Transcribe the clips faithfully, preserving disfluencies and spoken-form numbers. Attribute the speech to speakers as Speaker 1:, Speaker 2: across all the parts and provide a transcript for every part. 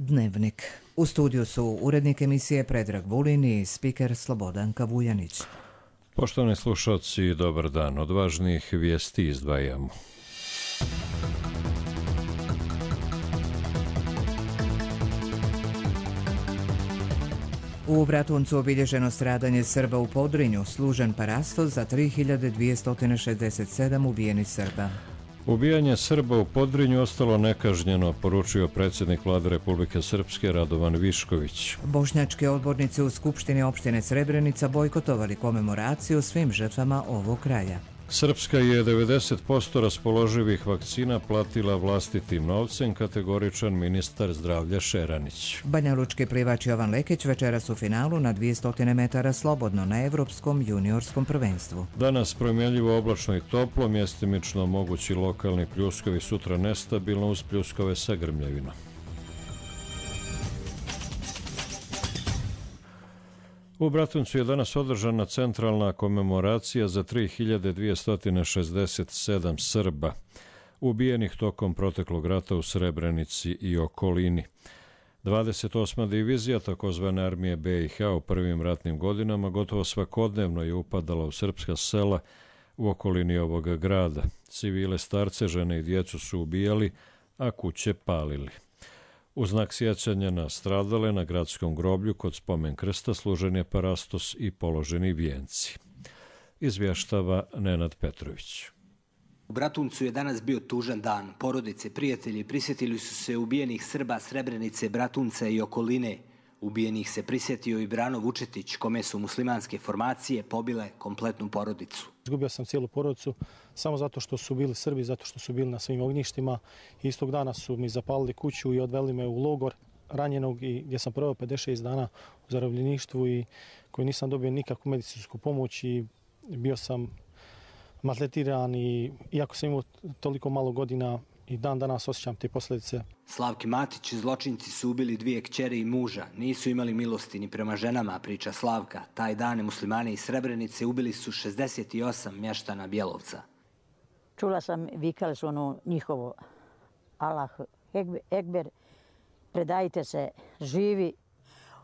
Speaker 1: Dnevnik. U studiju su urednik emisije Predrag Vulin i spiker Slobodanka Vujanić.
Speaker 2: Poštovani slušalci, dobar dan. Od važnijih vijesti izdvajamo.
Speaker 1: U Bratuncu obilježeno stradanje Srba u Podrinju, služen parastos za tri hiljade dvjesto šezdeset sedam ubijenih Srba.
Speaker 2: Ubijanje Srba u Podrinju ostalo nekažnjeno, poručio predsjednik Vlade Republike Srpske Radovan Višković.
Speaker 1: Bošnjački odbornici u Skupštini opštine Srebrenica bojkotovali komemoraciju svim žrtvama ovog kraja.
Speaker 2: Srpska je devedeset posto raspoloživih vakcina platila vlastitim novcem, kategoričan ministar zdravlja Šeranić.
Speaker 1: Banjalučki plivač Jovan Lekić večeras u finalu na dvjesto metara slobodno na Evropskom juniorskom prvenstvu.
Speaker 2: Danas promjenljivo oblačno i toplo, mjestimično mogući lokalni pljuskovi, sutra nestabilno uz pljuskove sa grmljavinom. U Bratuncu je danas održana centralna komemoracija za tri hiljade dvjesto šezdeset sedam Srba, ubijenih tokom proteklog rata u Srebrenici i okolini. dvadeset osma divizija takozvane armije B i H u prvim ratnim godinama gotovo svakodnevno je upadala u srpska sela u okolini ovoga grada. Civile, starce, žene i djecu su ubijali, a kuće palili. U znak sjećanja na stradale na gradskom groblju kod spomen krsta služen je parastos i položeni vijenci. Izvještava Nenad Petrović.
Speaker 3: U Bratuncu je danas bio tužan dan. Porodice, prijatelji prisjetili su se ubijenih Srba Srebrenice, Bratunca i okoline. Ubijenih se prisjetio i Brano Vučetić, kome su muslimanske formacije pobile kompletnu porodicu.
Speaker 4: Izgubio sam cijelu porodicu samo zato što su bili Srbi, zato što su bili na svim ognjištima. Istog dana su mi zapalili kuću i odveli me u logor ranjenog i gdje sam proveo pedeset šest dana u zarobljeništvu i koji nisam dobio nikakvu medicinsku pomoć i bio sam maltretiran i iako sam imao toliko malo godina i dan danas osjećam te posljedice.
Speaker 3: Slavki Matić, zločinci su ubili dvije kćeri i muža. Nisu imali milosti ni prema ženama, priča Slavka. Taj dan muslimani iz Srebrenice ubili su šezdeset osam mještana Bjelovca.
Speaker 5: Čula sam, vikali su ono njihovo Allah Ekber, predajte se, živi.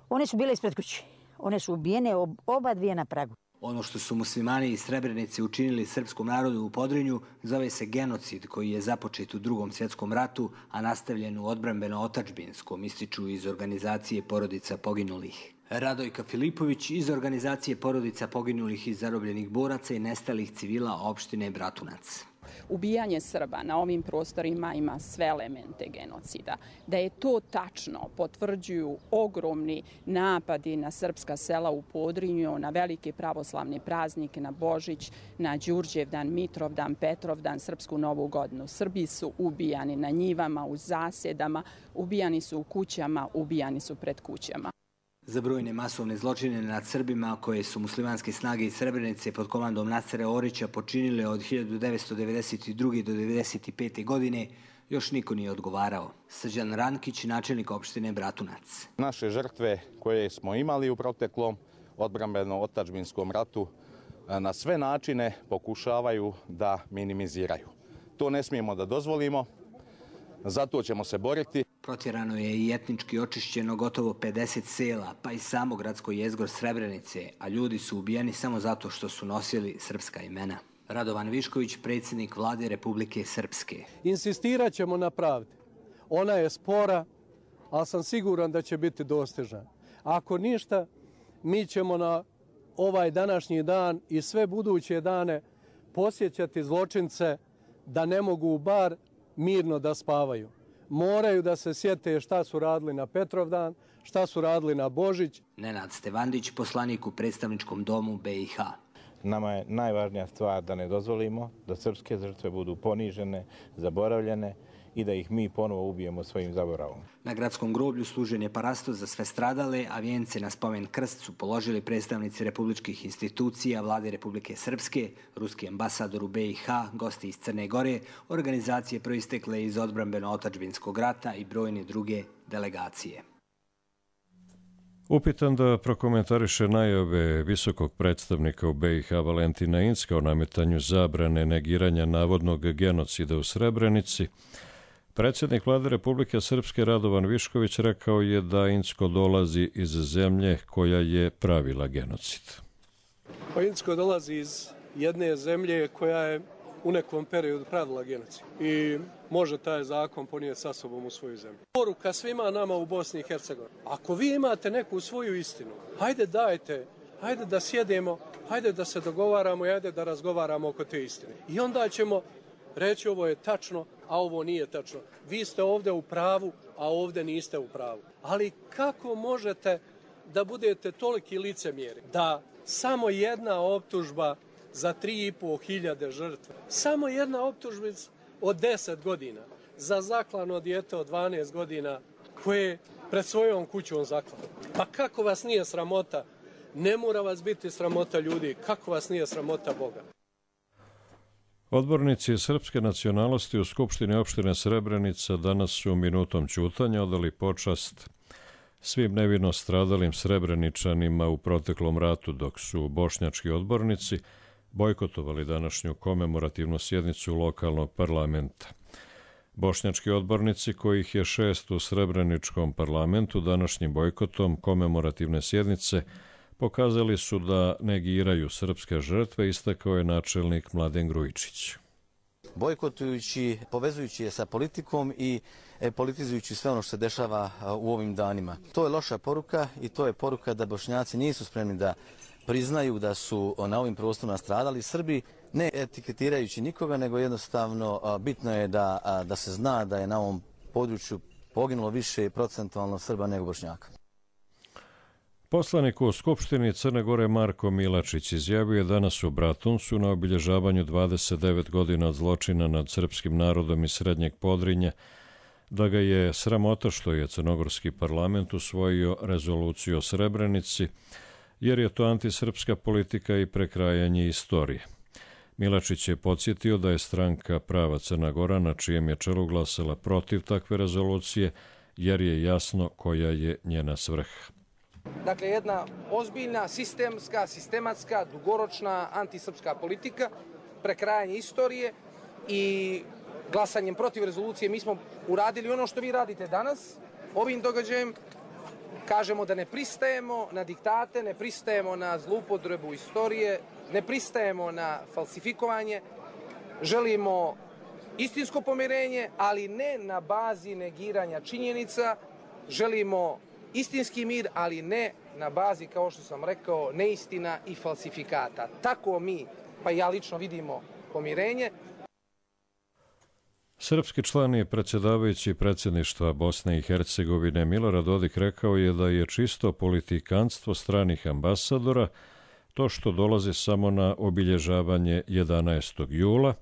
Speaker 5: One su bile ispred kući. One su ubijene oba dvije na pragu.
Speaker 3: Ono što su muslimani iz Srebrenice učinili srpskom narodu u Podrinju zove se genocid koji je započet u Drugom svjetskom ratu, a nastavljen u odbrambeno-otačbinskom, ističu iz organizacije porodica poginulih. Radojka Filipović iz organizacije porodica poginulih i zarobljenih boraca i nestalih civila opštine Bratunac.
Speaker 6: Ubijanje Srba na ovim prostorima ima sve elemente genocida. Da je to tačno potvrđuju ogromni napadi na srpska sela u Podrinju, na velike pravoslavne praznike, na Božić, na Đurđevdan, Mitrovdan, Petrovdan, Srpsku novu godinu. Srbi su ubijani na njivama, u zasjedama, ubijani su u kućama, ubijani su pred kućama.
Speaker 3: Za brojne masovne zločine nad Srbima koje su muslimanske snage iz Srebrenice pod komandom Nasera Orića počinile od hiljadu devetsto devedeset druge do devedeset pete godine još niko nije odgovarao. Srđan Rankić, načelnik opštine Bratunac.
Speaker 7: Naše žrtve koje smo imali u proteklom odbrambeno-otačbinskom ratu na sve načine pokušavaju da minimiziraju. To ne smijemo da dozvolimo, zato ćemo se boriti.
Speaker 3: Protjerano je i etnički očišćeno gotovo pedeset sela, pa i samo gradsko jezgro Srebrenice, a ljudi su ubijeni samo zato što su nosili srpska imena. Radovan Višković, predsjednik Vlade Republike Srpske.
Speaker 8: Insistirat ćemo na pravdi. Ona je spora, ali sam siguran da će biti dostižna. Ako ništa, mi ćemo na ovaj današnji dan i sve buduće dane posjećati zločince da ne mogu bar mirno da spavaju. Moraju da se sjete šta su radili na Petrovdan, šta su radili na Božić.
Speaker 3: Nenad Stevandić, poslanik u predstavničkom domu B i H.
Speaker 9: Nama je najvažnija stvar da ne dozvolimo da srpske žrtve budu ponižene, zaboravljene i da ih mi ponovo ubijemo svojim zaboravom.
Speaker 3: Na gradskom groblju služen je parastos za sve stradale, a vijence na spomen krst su položili predstavnici republičkih institucija, Vlade Republike Srpske, ruski ambasador u B i H, gosti iz Crne Gore, organizacije proistekle iz odbrambeno-otačbinskog rata i brojne druge delegacije.
Speaker 2: Upitan da prokomentariše najave visokog predstavnika u B i H Valentina Incka o nametanju zabrane negiranja navodnog genocida u Srebrenici, Predsjednik vlade Republike Srpske Radovan Višković rekao je da Incko dolazi iz zemlje koja je pravila genocid.
Speaker 8: Pa Incko dolazi iz jedne zemlje koja je u nekom periodu pravila genocid i može taj zakon ponijeti sa sobom u svoju zemlju. Poruka svima nama u Bosni i Hercegovini. Ako vi imate neku svoju istinu, hajde dajte, hajde da sjedemo, hajde da se dogovaramo i hajde da razgovaramo oko te istine. I onda ćemo reći ovo je tačno, a ovo nije tačno. Vi ste ovdje u pravu, a ovdje niste u pravu. Ali kako možete da budete toliki licemjeri da samo jedna optužba za tri i po hiljade žrtve, samo jedna optužbica od deset godina za zaklano dijete od dvanaest godina koje pred svojom kućom zaklano. Pa kako vas nije sramota? Ne mora vas biti sramota ljudi. Kako vas nije sramota Boga?
Speaker 2: Odbornici srpske nacionalnosti u Skupštini opštine Srebrenica danas su minutom ćutanja odali počast svim nevino stradalim Srebreničanima u proteklom ratu, dok su bošnjački odbornici bojkotovali današnju komemorativnu sjednicu lokalnog parlamenta. Bošnjački odbornici, kojih je šest u Srebreničkom parlamentu, današnjim bojkotom komemorativne sjednice pokazali su da negiraju srpske žrtve, istakao je načelnik Mladen Grujičić.
Speaker 10: Bojkotujući, povezujući je sa politikom i politizujući sve ono što se dešava u ovim danima. To je loša poruka i to je poruka da Bošnjaci nisu spremni da priznaju da su na ovim prostorima stradali. Srbi, ne etiketirajući nikoga, nego jednostavno bitno je da, da se zna da je na ovom području poginulo više procentualno Srba nego Bošnjaka.
Speaker 2: Poslanik u Skupštini Crne Gore Marko Milačić izjavio je danas u Bratuncu na obilježavanju dvadeset devet godina od zločina nad srpskim narodom iz Srednjeg Podrinja da ga je sramota što je crnogorski parlament usvojio rezoluciju o Srebrenici, jer je to antisrpska politika i prekrajanje istorije. Milačić je podsjetio da je stranka Prava Crna Gora na čijem je čelu glasala protiv takve rezolucije, jer je jasno koja je njena svrha.
Speaker 11: Dakle, jedna ozbiljna, sistemska, sistematska, dugoročna antisrpska politika, prekrajanje istorije i glasanjem protiv rezolucije mi smo uradili ono što vi radite danas. Ovim događajem kažemo da ne pristajemo na diktate, ne pristajemo na zloupotrebu istorije, ne pristajemo na falsifikovanje, želimo istinsko pomirenje, ali ne na bazi negiranja činjenica, želimo istinski mir, ali ne na bazi, kao što sam rekao, neistina i falsifikata. Tako mi, pa ja lično, vidimo pomirenje.
Speaker 2: Srpski član i predsjedavajući predsjedništva Bosne i Hercegovine Milorad Dodik rekao je da je čisto politikanstvo stranih ambasadora to što dolazi samo na obilježavanje jedanaestog jula,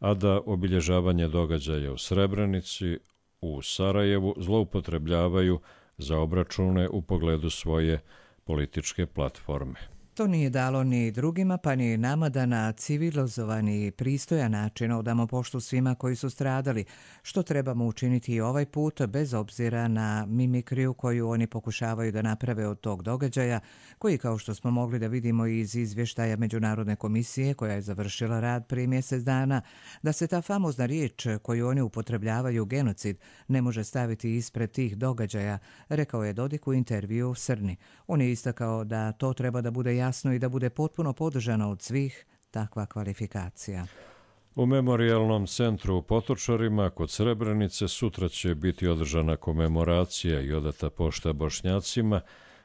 Speaker 2: a da obilježavanje događaja u Srebrenici, u Sarajevu zloupotrebljavaju za obračune u pogledu svoje političke platforme.
Speaker 1: To nije dalo ni drugima, pa ni nama da na civilizovani i pristojan način odamo poštu svima koji su stradali, što trebamo učiniti i ovaj put, bez obzira na mimikriju koju oni pokušavaju da naprave od tog događaja, koji, kao što smo mogli da vidimo iz izvještaja Međunarodne komisije koja je završila rad prije mjesec dana, da se ta famozna riječ koju oni upotrebljavaju, genocid, ne može staviti ispred tih događaja, rekao je Dodik u intervju Srni. On je istakao da to treba da bude jasno i da bude potpuno podržano od svih takva kvalifikacija.
Speaker 2: U memorijalnom centru u Potočarima kod Srebrenice sutra će biti održana komemoracija i odata pošta Bošnjacima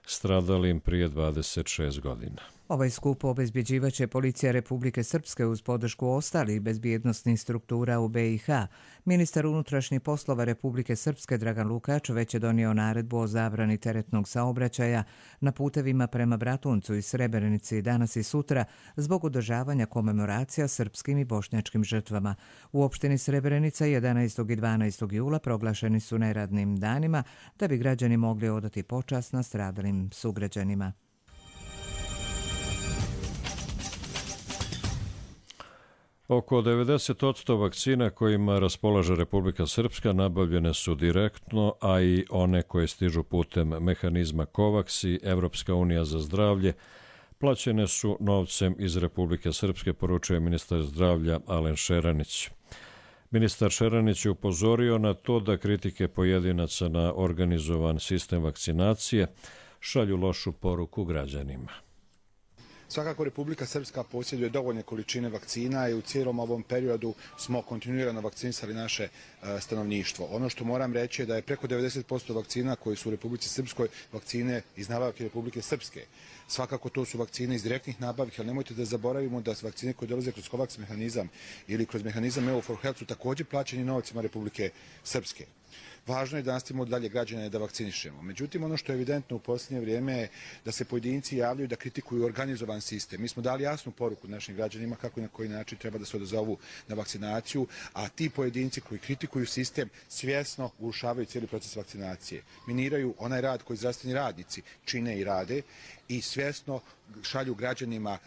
Speaker 2: stradalim prije dvadeset šest godina.
Speaker 1: Ovaj skup obezbjeđivaće Policija Republike Srpske uz podršku ostalih bezbjednosnih struktura u be i ha. Ministar unutrašnjih poslova Republike Srpske Dragan Lukač već je donio naredbu o zabrani teretnog saobraćaja na putevima prema Bratuncu i Srebrenici danas i sutra zbog održavanja komemoracija srpskim i bošnjačkim žrtvama. U opštini Srebrenica jedanaestog i dvanaestog jula proglašeni su neradnim danima da bi građani mogli odati počast nastradalim sugrađanima.
Speaker 2: Oko devedeset posto vakcina kojima raspolaže Republika Srpska nabavljene su direktno, a i one koje stižu putem mehanizma COVAX i Evropska unija za zdravlje plaćene su novcem iz Republike Srpske, poručuje ministar zdravlja Alen Šeranić. Ministar Šeranić je upozorio na to da kritike pojedinaca na organizovan sistem vakcinacije šalju lošu poruku građanima.
Speaker 12: Svakako Republika Srpska posjeduje dovoljne količine vakcina i u cijelom ovom periodu smo kontinuirano vakcinisali naše stanovništvo. Ono što moram reći je da je preko devedeset posto vakcina koje su u Republici Srpskoj vakcine iz nabavke Republike Srpske. Svakako to su vakcine iz direktnih nabavki, ali nemojte da zaboravimo da vakcine koje dolaze kroz COVAX mehanizam ili kroz mehanizam E U for Health su također plaćeni novcima Republike Srpske. Važno je da nastavimo dalje građane da vakcinišemo. Međutim, ono što je evidentno u posljednje vrijeme je da se pojedinci javljaju da kritikuju organizovan sistem. Mi smo dali jasnu poruku našim građanima kako i na koji način treba da se odazovu na vakcinaciju, a ti pojedinci koji kritikuju sistem svjesno urušavaju cijeli proces vakcinacije. Miniraju onaj rad koji zdravstveni radnici čine i rade i svjesno šalju građanima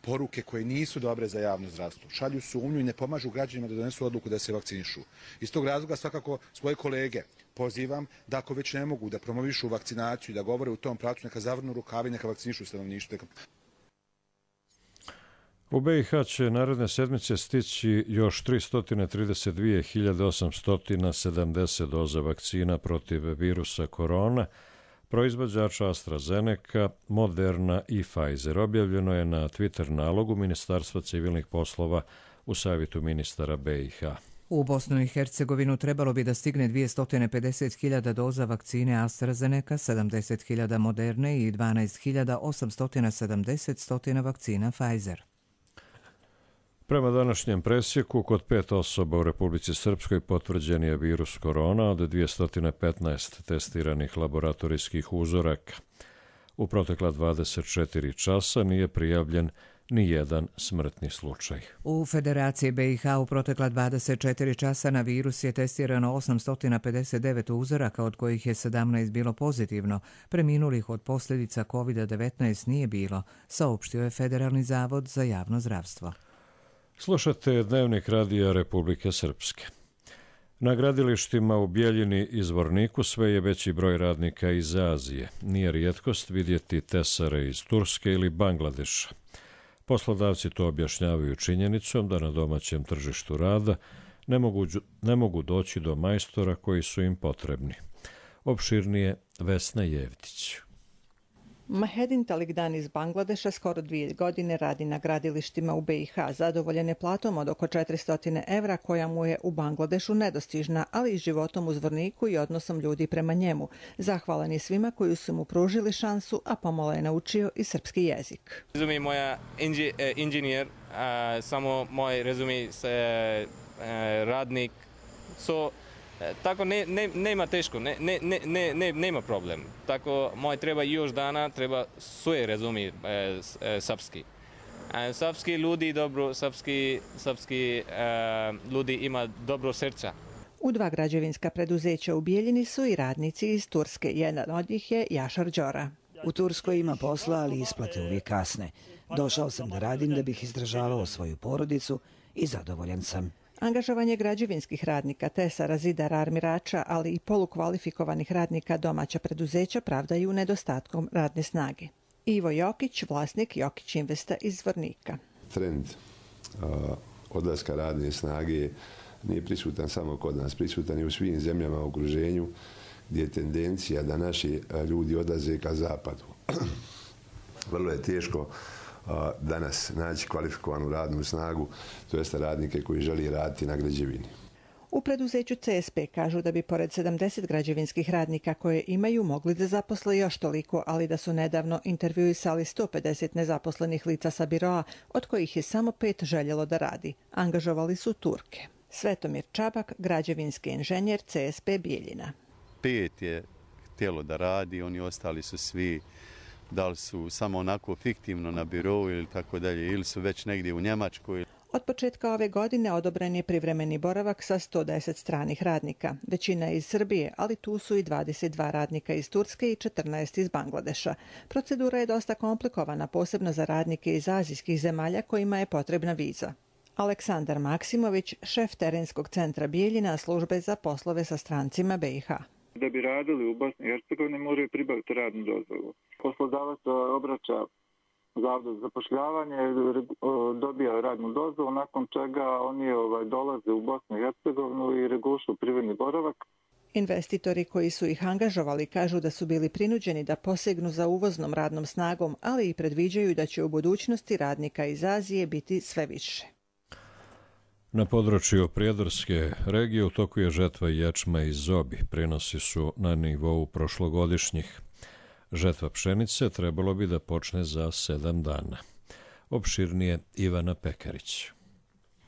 Speaker 12: poruke koje nisu dobre za javno zdravstvo. Šalju sumnju i ne pomažu građanima da donesu odluku da se vakcinišu. Iz tog razloga svakako svoje kolege pozivam da ako već ne mogu da promovišu vakcinaciju i da govore u tom pravcu, neka zavrnu rukavi, neka vakcinišu stanovništvo.
Speaker 2: U B i H će naredne sedmice stići još tristo trideset dvije hiljade osamsto sedamdeset doza vakcina protiv virusa korona, proizvođača AstraZeneca, Moderna i Pfizer. Objavljeno je na Twitter nalogu Ministarstva civilnih poslova u savjetu ministara B i H.
Speaker 1: U Bosnu i Hercegovinu trebalo bi da stigne dvjesto pedeset hiljada doza vakcine AstraZeneca, sedamdeset hiljada Moderne i dvanaest hiljada osamsto sedamdeset vakcina Pfizer.
Speaker 2: Prema današnjem presjeku, kod pet osoba u Republici Srpskoj potvrđen je virus korona od dvjesto petnaest testiranih laboratorijskih uzoraka. U protekla dvadeset četiri časa nije prijavljen ni jedan smrtni slučaj.
Speaker 1: U Federaciji B i H u protekla dvadeset četiri časa na virus je testirano osamsto pedeset devet uzoraka, od kojih je sedamnaest bilo pozitivno. Preminulih od posljedica kovid devetnaest nije bilo, saopštio je Federalni zavod za javno zdravstvo.
Speaker 2: Slušate Dnevnik radija Republike Srpske. Na gradilištima u Bijeljini i Zvorniku sve je veći broj radnika iz Azije. Nije rijetkost vidjeti tesare iz Turske ili Bangladeša. Poslodavci to objašnjavaju činjenicom da na domaćem tržištu rada ne mogu, ne mogu doći do majstora koji su im potrebni. Opširnije Vesna Jevtić.
Speaker 13: Mahedin Talikdan iz Bangladeša skoro dvije godine radi na gradilištima u B i H. Zadovoljen je platom od oko četiristo evra koja mu je u Bangladešu nedostižna, ali i životom u Zvorniku i odnosom ljudi prema njemu. Zahvalan je svima koji su mu pružili šansu, a pomalo je naučio i srpski jezik.
Speaker 14: Rezumi moja inži, eh, inženjer, a, samo moj rezumi se eh, radnik. So, tako ne, ne, nema teško, ne, ne, ne, ne, nema problem. Tako moj treba još dana, treba sve razumi e, e, srpski. E, srpski ljudi dobro, srpski, srpski e, ljudi ima dobro srca.
Speaker 13: U dva građevinska preduzeća u Bijeljini su i radnici iz Turske. Jedan od njih je Jašar Đora.
Speaker 15: U Turskoj ima posla, ali isplate uvijek kasne. Došao sam da radim da bih izdržavao svoju porodicu i zadovoljan sam.
Speaker 13: Angažovanje građevinskih radnika, tesara, zidara, armirača, ali i polukvalifikovanih radnika domaća preduzeća pravdaju nedostatkom radne snage. Ivo Jokić, vlasnik Jokić Investa iz Zvornika.
Speaker 16: Trend uh, odlaska radne snage nije prisutan samo kod nas, prisutan je u svim zemljama u okruženju gdje je tendencija da naši ljudi odlaze ka zapadu. Vrlo je teško danas naći kvalifikovanu radnu snagu, to jeste radnike koji želi raditi na građevini.
Speaker 13: U preduzeću C S P kažu da bi pored sedamdeset građevinskih radnika koje imaju mogli da zaposle još toliko, ali da su nedavno intervjuisali sto pedeset nezaposlenih lica sa biroa, od kojih je samo pet željelo da radi. Angažovali su Turke. Svetomir Čabak, građevinski inženjer C S P Bijeljina.
Speaker 17: Pet je htjelo da radi, oni ostali su svi, da li su samo onako fiktivno na birou ili tako dalje, ili su već negdje u Njemačkoj.
Speaker 13: Od početka ove godine odobren je privremeni boravak sa sto deset stranih radnika. Većina je iz Srbije, ali tu su i dvadeset dva radnika iz Turske i četrnaest iz Bangladeša. Procedura je dosta komplikovana, posebno za radnike iz azijskih zemalja kojima je potrebna viza. Aleksandar Maksimović, šef terenskog centra Bijeljina, službe za poslove sa strancima B i H.
Speaker 18: Da bi radili u Bosni i Hercegovini moraju pribaviti radnu dozvolu. Poslodavac obraća Zavoda za zapošljavanje, dobija radnu dozvolu, nakon čega oni ovaj, dolaze u Bosnu i Hercegovinu i regulišu privredni boravak.
Speaker 13: Investitori koji su ih angažovali kažu da su bili prinuđeni da posegnu za uvoznom radnom snagom, ali i predviđaju da će u budućnosti radnika iz Azije biti sve više.
Speaker 2: Na području Prijedorske regije u toku je žetva ječma i zobi. Prinosi su na nivou prošlogodišnjih. Žetva pšenice trebalo bi da počne za sedam dana. Opširnije Ivana Pekarić.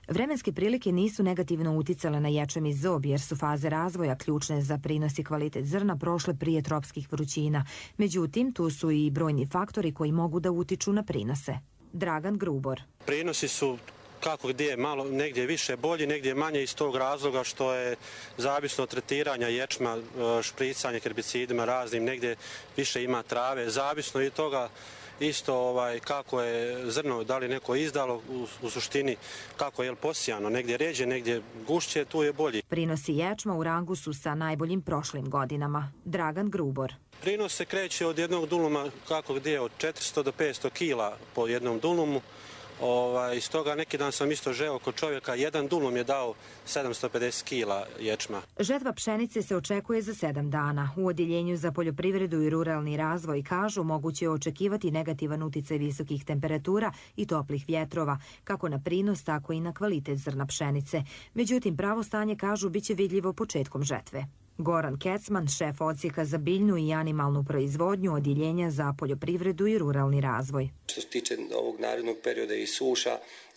Speaker 19: Vremenske prilike nisu negativno uticale na ječam i zob jer su faze razvoja ključne za prinos i kvalitet zrna prošle prije tropskih vrućina. Međutim, tu su i brojni faktori koji mogu da utiču na prinose. Dragan Grubor.
Speaker 20: Prinosi su kako gdje malo, negdje više bolji, negdje manje iz tog razloga što je zavisno od tretiranja ječma, špricanje herbicidima raznim, negdje više ima trave, zavisno i toga isto ovaj, kako je zrno, da li neko izdalo u, u suštini, kako je posijano, negdje ređe, negdje gušće, tu je bolji.
Speaker 19: Prinosi ječma u rangu su sa najboljim prošlim godinama. Dragan Grubor.
Speaker 20: Prinos se kreće od jednog duluma, kako gdje, od četiristo do petsto kila po jednom dulumu. Ovaj, iz toga neki dan sam isto žeo kod čovjeka, jedan dulum je dao sedamsto pedeset kila ječma.
Speaker 19: Žetva pšenice se očekuje za sedam dana. U Odjeljenju za poljoprivredu i ruralni razvoj kažu moguće je očekivati negativan uticaj visokih temperatura i toplih vjetrova, kako na prinos, tako i na kvalitet zrna pšenice. Međutim, pravo stanje kažu biće vidljivo početkom žetve. Goran Kecman, šef odsjeka za biljnu i animalnu proizvodnju Odjeljenja za poljoprivredu i ruralni razvoj.
Speaker 21: Što se tiče ovog narednog perioda i suša,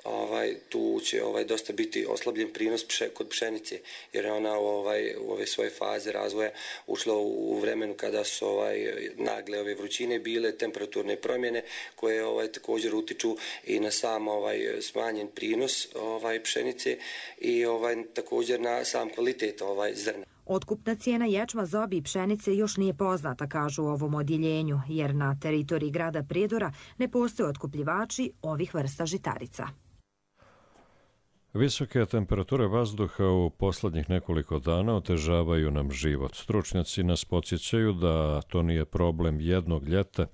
Speaker 21: ovaj, tu će ovaj, dosta biti oslabljen prinos pše, kod pšenice, jer je ona ovaj, u ove svoje faze razvoja ušla u, u vremenu kada su ovaj, nagle ove vrućine bile, temperaturne promjene koje ovaj, također utiču i na sam ovaj, smanjen prinos ovaj, pšenice i ovaj, također na sam kvalitet ovaj, zrna.
Speaker 19: Otkupna cijena ječma, zobi i pšenice još nije poznata, kažu u ovom odjeljenju, jer na teritoriji grada Prijedora ne postoje otkupljivači ovih vrsta žitarica.
Speaker 2: Visoke temperature vazduha u posljednjih nekoliko dana otežavaju nam život. Stručnjaci nas podsjećaju da to nije problem jednog ljeta,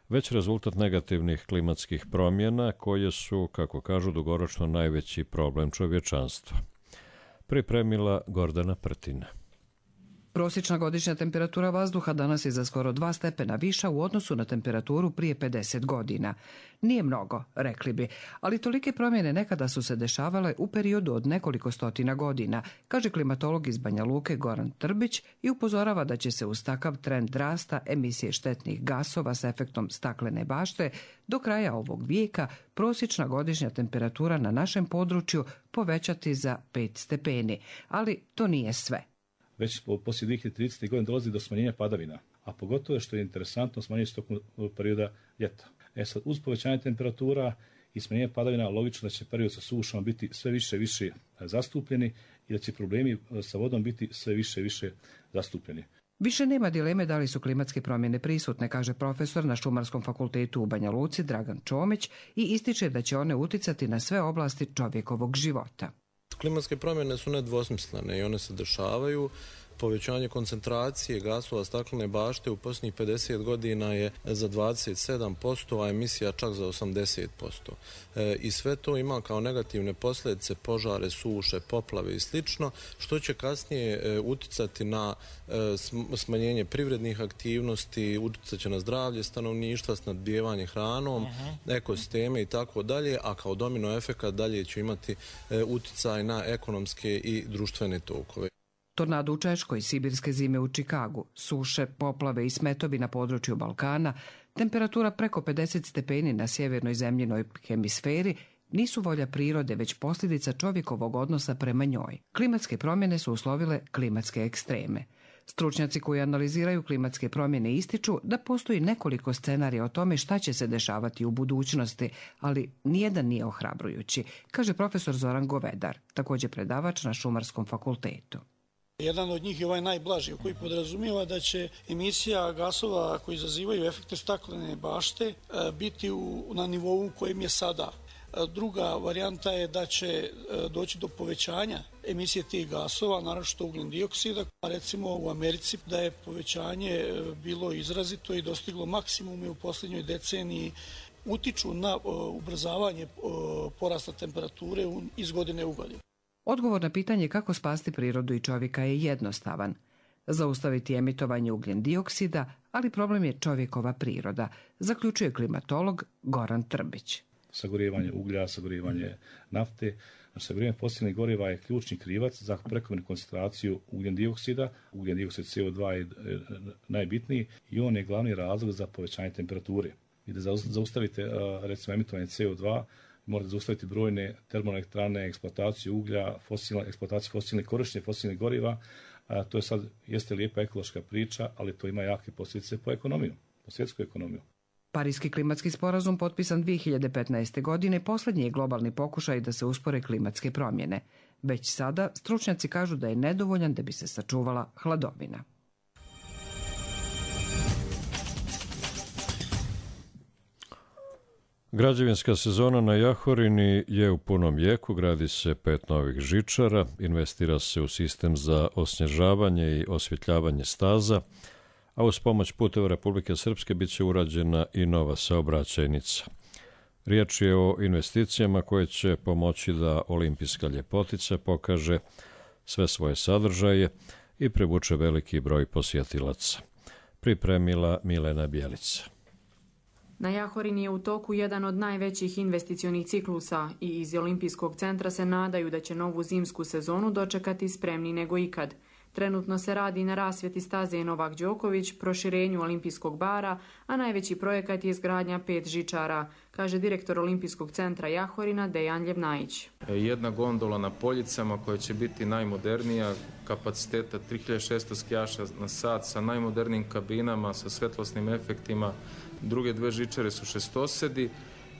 Speaker 2: već rezultat negativnih klimatskih promjena koje su, kako kažu, dugoročno najveći problem čovječanstva. Pripremila Gordana Prtina.
Speaker 22: Prosječna godišnja temperatura vazduha danas je za skoro dva stepena viša u odnosu na temperaturu prije pedeset godina. Nije mnogo, rekli bi, ali tolike promjene nekada su se dešavale u periodu od nekoliko stotina godina, kaže klimatolog iz Banja Luke Goran Trbić i upozorava da će se uz takav trend rasta emisije štetnih gasova s efektom staklene bašte do kraja ovog vijeka prosječna godišnja temperatura na našem području povećati za pet stepeni, ali to nije sve.
Speaker 23: Već poslije dvije hiljade tridesete. godine dolazi do smanjenja padavina, a pogotovo što je interesantno smanjenje se tokom perioda ljeta. E sad, uz povećanje temperatura i smanjenje padavina, logično da će period sa sušama biti sve više i više zastupljeni i da će problemi sa vodom biti sve više i više zastupljeni.
Speaker 22: Više nema dileme da li su klimatske promjene prisutne, kaže profesor na Šumarskom fakultetu u Banja Luci Dragan Čomić i ističe da će one uticati na sve oblasti čovjekovog života.
Speaker 24: Klimatske promjene su nedvosmislene i one se dešavaju. Povećanje koncentracije gasova staklene bašte u posljednjih pedeset godina je za dvadeset sedam posto, a emisija čak za osamdeset posto. E, I sve to ima kao negativne posljedice požare, suše, poplave i slično, što će kasnije e, uticati na e, smanjenje privrednih aktivnosti, uticat će na zdravlje stanovništva, snadbijevanje hranom, uh-huh. ekosisteme i tako dalje, a kao domino efekat dalje će imati e, uticaj na ekonomske i društvene tokove.
Speaker 22: Tornado u Češkoj, sibirske zime u Čikagu, suše, poplave i smetovi na području Balkana, temperatura preko pedeset stepeni na sjevernoj zemljinoj hemisferi nisu volja prirode, već posljedica čovjekovog odnosa prema njoj. Klimatske promjene su uslovile klimatske ekstreme. Stručnjaci koji analiziraju klimatske promjene ističu da postoji nekoliko scenarija o tome šta će se dešavati u budućnosti, ali nijedan nije ohrabrujući, kaže profesor Zoran Govedar, također predavač na Šumarskom fakultetu.
Speaker 25: Jedan od njih je ovaj najblaži, koji podrazumijeva da će emisija gasova koji izazivaju efekte staklene bašte biti u, na nivou u kojem je sada. Druga varijanta je da će doći do povećanja emisije tih gasova, naročito ugljen dioksida. Recimo u Americi da je povećanje bilo izrazito i dostiglo maksimume u posljednjoj deceniji utiču na ubrzavanje porasta temperature iz godine u godinu.
Speaker 22: Odgovor na pitanje kako spasti prirodu i čovjeka je jednostavan. Zaustaviti emitovanje ugljen dioksida, ali problem je čovjekova priroda, zaključuje klimatolog Goran Trbić.
Speaker 23: Sagorijevanje uglja, sagorijevanje nafte. Znači, sagorijevanje fosilnih goriva je ključni krivac za prekomjernu koncentraciju ugljen dioksida. Ugljen dioksid C O dva je najbitniji i on je glavni razlog za povećanje temperature. I da zaustavite recimo emitovanje C O dva, morate zaustaviti brojne termoelektrane, eksploataciju uglja, fosilne, eksploataciju fosilnih korištenja fosilnih goriva. A, to je sad, jeste lijepa ekološka priča, ali to ima jake posljedice po ekonomiju, po svjetsku ekonomiju.
Speaker 22: Parijski klimatski sporazum potpisan dvije hiljade petnaeste. godine posljednji je globalni pokušaj da se uspore klimatske promjene. Već sada stručnjaci kažu da je nedovoljan da bi se sačuvala hladovina.
Speaker 2: Građevinska sezona na Jahorini je u punom jeku, gradi se pet novih žičara, investira se u sistem za osnježavanje i osvjetljavanje staza, a uz pomoć puteva Republike Srpske bit će urađena i nova saobraćajnica. Riječ je o investicijama koje će pomoći da olimpijska ljepotica pokaže sve svoje sadržaje i privuče veliki broj posjetilaca. Pripremila Milena Bjelica.
Speaker 4: Na Jahorini je u toku jedan od najvećih investicionih ciklusa i iz Olimpijskog centra se nadaju da će novu zimsku sezonu dočekati spremni nego ikad. Trenutno se radi na rasvjeti staze Novak Đoković, proširenju olimpijskog bara, a najveći projekat je izgradnja pet žičara, kaže direktor Olimpijskog centra Jahorina Dejan Ljevnajić.
Speaker 5: Jedna gondola na Poljicama koja će biti najmodernija, kapaciteta tri hiljade šesto skijaša na sat sa najmodernijim kabinama, sa svetlosnim efektima. Druge dve žičare su šestosedi,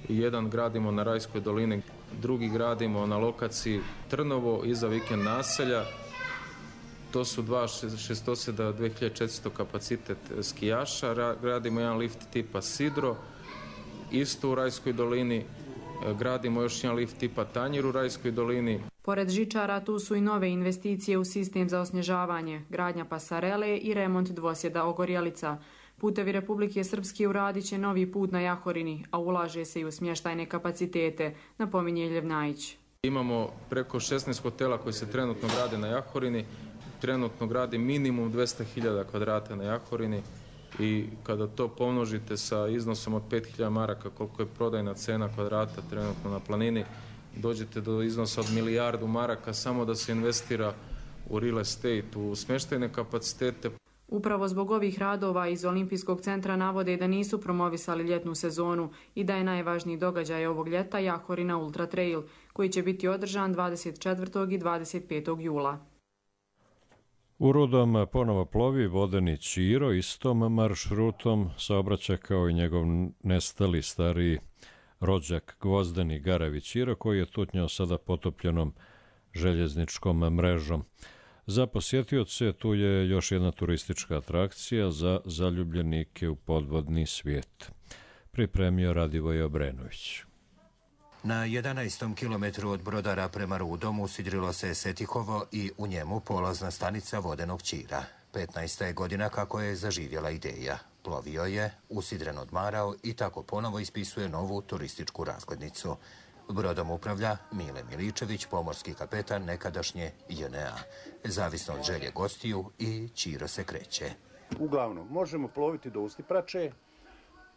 Speaker 5: jedan gradimo na Rajskoj dolini, drugi gradimo na lokaciji Trnovo iza vikend naselja. To su dva šestoseda, dve hiljade četiristo kapacitet skijaša. Gradimo jedan lift tipa Sidro, isto u Rajskoj dolini. Gradimo još jedan lift tipa Tanjir u Rajskoj dolini.
Speaker 4: Pored žičara tu su i nove investicije u sistem za osnježavanje, gradnja pasarele i remont dvosjeda Ogorjelica. Putevi Republike Srpske uradit će novi put na Jahorini, a ulaže se i u smještajne kapacitete, napominje Ljevnajić.
Speaker 5: Imamo preko šesnaest hotela koji se trenutno grade na Jahorini. Trenutno gradi minimum dvesta hiljada kvadrata na Jahorini i kada to pomnožite sa iznosom od pet hiljada maraka koliko je prodajna cena kvadrata trenutno na planini, dođete do iznosa od milijardu maraka samo da se investira u real estate, u smještajne kapacitete.
Speaker 4: Upravo zbog ovih radova iz Olimpijskog centra navode da nisu promovisali ljetnu sezonu i da je najvažniji događaj ovog ljeta Jahorina Ultra Trail, koji će biti održan dvadeset četvrtog i dvadeset petog jula.
Speaker 2: U Rudom ponovo plovi vodeni Ćiro, istom maršrutom saobraća kao i njegov nestali stariji rođak Gvozdeni Garavi Ćiro, koji je tutnjao sada potopljenom željezničkom mrežom. Za posjetioce tu je još jedna turistička atrakcija za zaljubljenike u podvodni svijet. Pripremio Radivoj Obrenović.
Speaker 6: Na jedanaestom kilometru od Brodara prema Rudom usidrilo se Setikovo i u njemu polazna stanica vodenog Ćira. petnaesta je godina kako je zaživjela ideja. Plovio je, usidren odmarao i tako ponovo ispisuje novu turističku razglednicu. Brodom upravlja Mile Miličević, pomorski kapetan nekadašnje J N A. Zavisno od želje gostiju i Ćiro se kreće.
Speaker 7: Uglavnom, možemo ploviti do Ustiprače,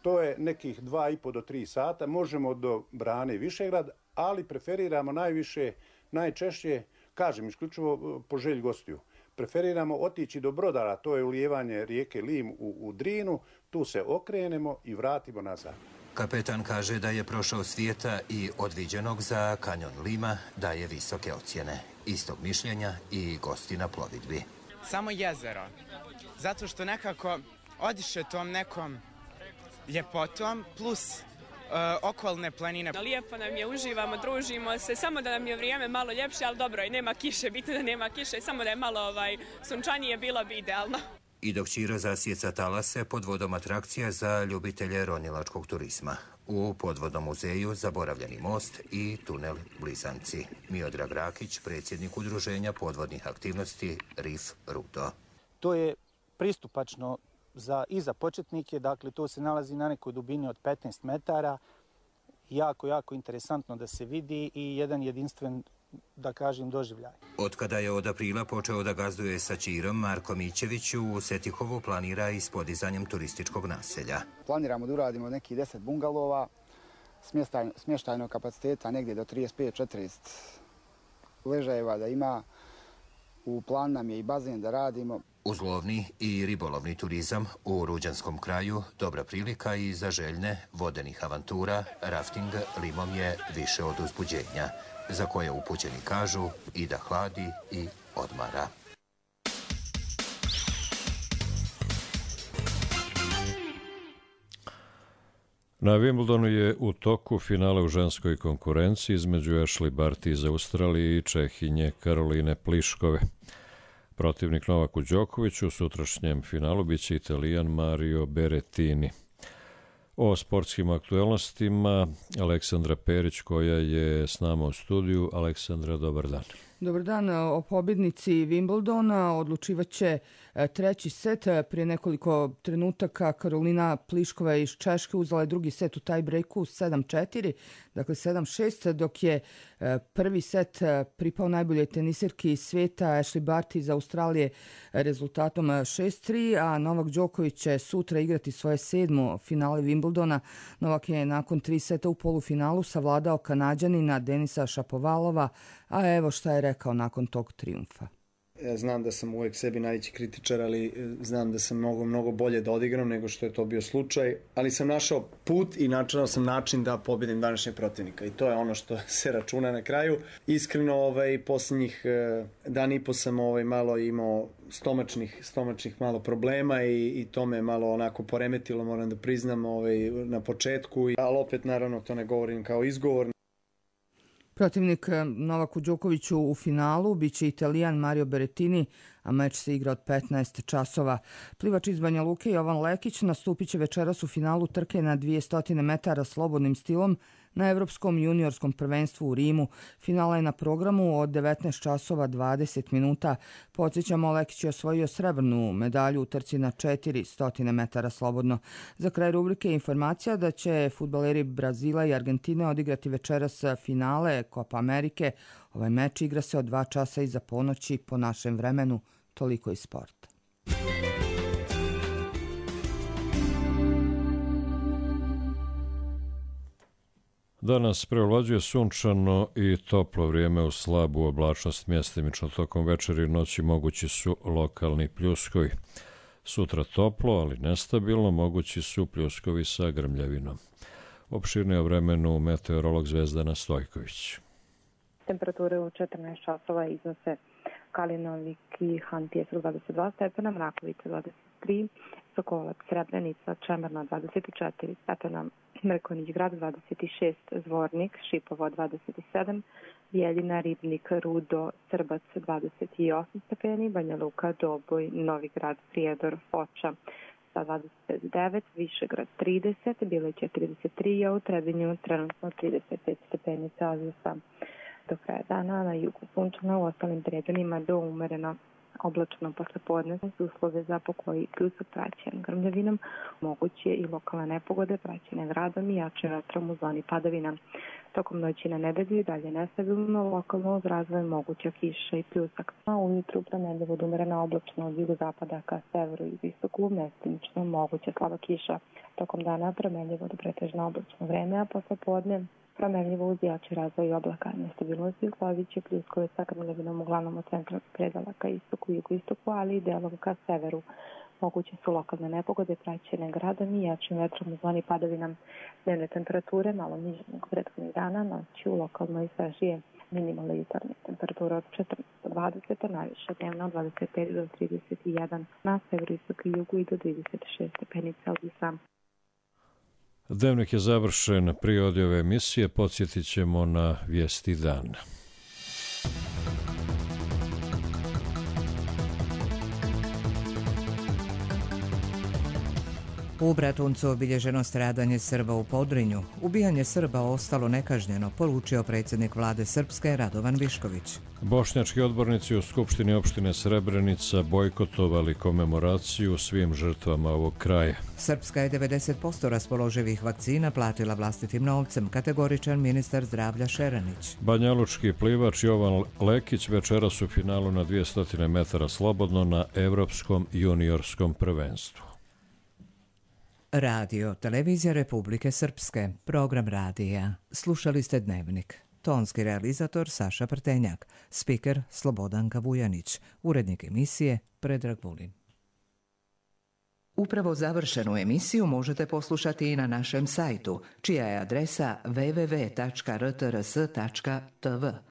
Speaker 7: to je nekih dva i po do tri sata, možemo do Brane Višegrad, ali preferiramo najviše, najčešće, kažem isključivo po želji gostiju, preferiramo otići do Brodara, to je ulijevanje rijeke Lim u, u Drinu, tu se okrenemo i vratimo nazad.
Speaker 6: Kapetan kaže da je prošao svijeta i od viđenog za kanjon Lima daje visoke ocjene. Istog mišljenja i gosti na plovidbi.
Speaker 9: Samo jezero, zato što nekako odiše tom nekom ljepotom plus uh, okolne planine.
Speaker 26: Lijepo nam je, uživamo, družimo se, samo da nam je vrijeme malo ljepše, ali dobro, i nema kiše, bitno da nema kiše, samo da je malo ovaj, sunčanije, bilo bi idealno.
Speaker 6: I dok Ćiro zasjeca talase, pod vodom atrakcija za ljubitelje ronilačkog turizma. U podvodnom muzeju zaboravljeni most i tunel Blizanci. Miodrag Rakić, predsjednik udruženja podvodnih aktivnosti R I F Rudo.
Speaker 27: To je pristupačno za, i za početnike, dakle to se nalazi na nekoj dubini od petnaest metara,
Speaker 1: jako, jako interesantno da se vidi i jedan jedinstven, da kažem, doživljaj.
Speaker 6: Od kada je od aprila počeo da gazduje sa Ćirom, Marko Mićević u Setihovu planira i s podizanjem turističkog naselja.
Speaker 3: Planiramo da uradimo neki deset bungalova, smještajnog kapaciteta negdje do trideset pet četrdeset ležajeva da ima. U plan nam je i bazen da radimo.
Speaker 6: Uzlovni i ribolovni turizam u Ruđanskom kraju dobra prilika i za željne vodenih avantura, rafting limom je više od uzbuđenja, za koje upućeni kažu i da hladi i odmara.
Speaker 2: Na Wimbledonu je u toku finale u ženskoj konkurenciji između Ashley Barty iz Australije i Čehinje Karoline Pliškove. Protivnik Novaku Đokoviću u sutrašnjem finalu biće Italijan Mario Berrettini. O sportskim aktuelnostima Aleksandra Perić koja je s nama u studiju. Aleksandra, dobar dan.
Speaker 8: Dobar dan. O pobjednici Wimbledona odlučivaće treći set. Prije nekoliko trenutaka Karolina Pliškova iz Češke uzela je drugi set u taj breaku sedam četiri, dakle sedam šest, dok je prvi set pripao najboljoj tenisirki svijeta Ashley Barty iz Australije rezultatom šest tri, a Novak Đoković će sutra igrati svoje sedmo finale Wimbledona. Novak je nakon tri seta u polufinalu savladao Kanađanina Denisa Šapovalova, a evo šta je rekao nakon tog trijumfa.
Speaker 10: Ja znam da sam uvijek sebi najveći kritičar, ali znam da sam mnogo, mnogo bolje da odigram nego što je to bio slučaj. Ali sam našao put i načinao sam način da pobjedim današnjeg protivnika. I to je ono što se računa na kraju. Iskreno, ovaj, posljednjih dan i po sam ovaj, malo imao stomačnih, stomačnih malo problema i, i to me malo onako poremetilo, moram da priznam, ovaj, na početku. Ali opet, naravno, to ne govorim kao izgovor.
Speaker 8: Protivnik Novaku Đokoviću u finalu biće Italijan Mario Berrettini, a meč se igra od petnaest časova. Plivač iz Banja Luke Jovan Lekić nastupit će večeras u finalu trke na dvjesto metara slobodnim stilom na Evropskom juniorskom prvenstvu u Rimu. Finala je na programu od devetnaest časova dvadeset minuta. Podsjećamo, Lekić je osvojio srebrnu medalju u trci na četiristo metara slobodno. Za kraj rubrike informacija da će fudbaleri Brazila i Argentine odigrati večeras finale Copa Amerike. Ovaj meč igra se od dva časa iza ponoći po našem vremenu. Toliko iz sporta.
Speaker 2: Danas prevlađuje sunčano i toplo vrijeme u slabu oblačnost, mjestimično tokom večeri i noći mogući su lokalni pljuskovi. Sutra toplo, ali nestabilno, mogući su pljuskovi sa grmljavinom. Opširnije o vremenu meteorolog Zvezdana Stojković.
Speaker 11: Temperature u četrnaest časova iznose Kalinovik i Hantijesu dvadeset dva stepena, Mrakovica dvadeset tri, Sokolac, Srebrenica, Čemerna dvadeset četiri stepena, Mrkonjić grad dvadeset šest, Zvornik, Šipovo dvadeset sedam, Bijeljina, Ribnik, Rudo, Srbac dvadeset osam stepeni, Banja Luka, Doboj, Novigrad, Prijedor, Foča sa dvadeset devet, Višegrad trideset, Bileće trideset tri, a u Trebinju trenutno trideset pet stepeni Celzijusa. Do kraja dana na jugu sunčano, u ostalim predelima do umereno oblačno poslepodne su uslove za pokoj i pljusak praćen grmljavinom, moguće i lokalne nepogode praćene gradom i jačim vetrom u zoni padavina. Tokom noći na nedelju i dalje nestabilno, lokalno uz razvoj moguća kiša i pljusak. A ujutru promenljivo od umerena oblačno od jugozapada ka severu i istoku, mestimično moguća slaba kiša. Tokom dana promenljivo do pretežno oblačno vreme, a poslepodne promenljivo uz jači razvoj oblaka. Nestabilnosti uslovit će pljuskove sa grmljavinom uglavnom od centralnog predela ka istoku i jugoistoku, ali i delom ka severu. Moguće su lokalne nepogode praćene gradom i jačim vetrom u zoni padavina. Dnevne temperature malo niže nego prethodnih dana, noći u lokalno i svežije. Minimalne jutarnje temperature od četrnaest do dvadeset, a najviše dnevno od dvadeset pet do trideset jedan, na severu, istoku i jugu i do trideset šest stepeni Celzijusa.
Speaker 2: Dnevnik je završen. Prije odjave emisije podsjetit ćemo na vijesti dana.
Speaker 12: U Bratuncu obilježeno stradanje Srba u Podrinju. Ubijanje Srba ostalo nekažnjeno, poručio predsjednik vlade Srpske Radovan Višković.
Speaker 2: Bošnjački odbornici u Skupštini opštine Srebrenica bojkotovali komemoraciju svim žrtvama ovog kraja.
Speaker 12: Srpska je devedeset posto raspoloživih vakcina platila vlastitim novcem, kategoričan ministar zdravlja Šeranić.
Speaker 2: Banjalučki plivač Jovan Lekić večeras u finalu na dvjesto metara slobodno na Evropskom juniorskom prvenstvu.
Speaker 12: Radio, televizija Republike Srpske, program radija. Slušali ste Dnevnik. Tonski realizator Saša Prtenjak, spiker Slobodanka Vujanić, urednik emisije Predrag Vulin. Upravo završenu emisiju možete poslušati i na našem sajtu, čija je adresa w w w tačka r t r s tačka t v.